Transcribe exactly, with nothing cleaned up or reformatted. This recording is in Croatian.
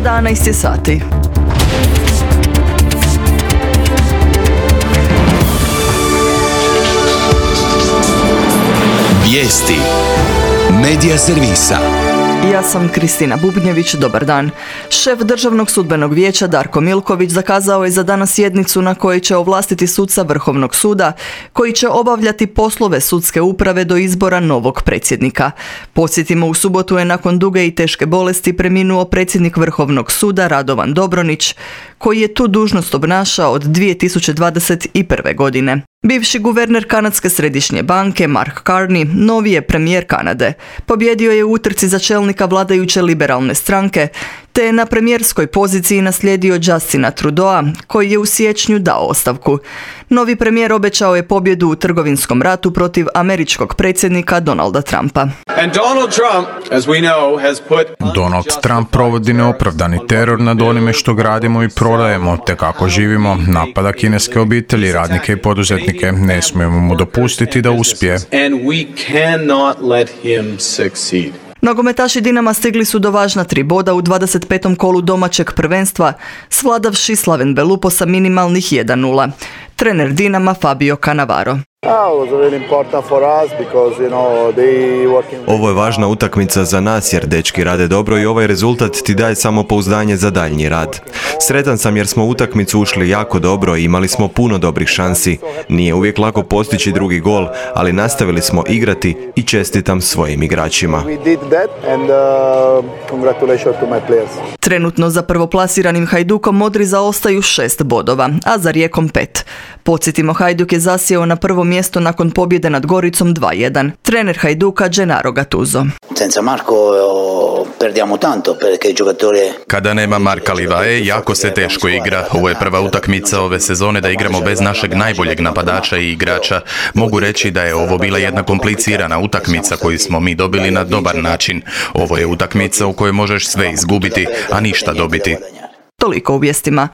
jedanaest je sati. Vijesti Medija servisa. Ja sam Kristina Bubnjević, dobar dan. Šef Državnog sudbenog vijeća Darko Milković zakazao je za danas sjednicu na kojoj će ovlastiti suca Vrhovnog suda koji će obavljati poslove sudske uprave do izbora novog predsjednika. Podsjetimo, u subotu je nakon duge i teške bolesti preminuo predsjednik Vrhovnog suda Radovan Dobronić, koji je tu dužnost obnašao od dvije tisuće dvadeset prve. godine. Bivši guverner Kanadske središnje banke Mark Carney novi je premijer Kanade. Pobjedio je u utrci za čelnika vladajuće liberalne stranke, te je na premijerskoj poziciji naslijedio Justina Trudeau, koji je u siječnju dao ostavku. Novi premijer obećao je pobjedu u trgovinskom ratu protiv američkog predsjednika Donalda Trumpa. And Donald Trump, as we know, has put... Donald Trump provodi neopravdani teror nad onime što gradimo i prodajemo, te kako živimo, napada kineske obitelji, radnike i poduzetnike. Ne smijemo mu dopustiti da uspije. And we cannot let him succeed. Nogometaši Dinama stigli su do važna tri boda u dvadeset petom kolu domaćeg prvenstva, svladavši Slaven Belupo sa minimalnih jedan nula. Trener Dinama Fabio Cannavaro. Ovo je važna utakmica za nas jer dečki rade dobro i ovaj rezultat ti daje samopouzdanje za daljnji rad. Sretan sam jer smo u utakmicu ušli jako dobro i imali smo puno dobrih šansi. Nije uvijek lako postići drugi gol, ali nastavili smo igrati i čestitam svojim igračima. Trenutno za prvoplasiranim Hajdukom modri zaostaju šest bodova, a za Rijekom pet. Podsjetimo, Hajduk je zasjeo na prvo mjesto nakon pobjede nad Goricom dva jedan. Trener Hajduka Gennaro Gattuso. Kada nema Marka Livaje, jako se teško igra. Ovo je prva utakmica ove sezone da igramo bez našeg najboljeg napadača i igrača. Mogu reći da je ovo bila jedna komplicirana utakmica koju smo mi dobili na dobar način. Ovo je utakmica u kojoj možeš sve izgubiti, a ništa dobiti. Toliko u vijestima.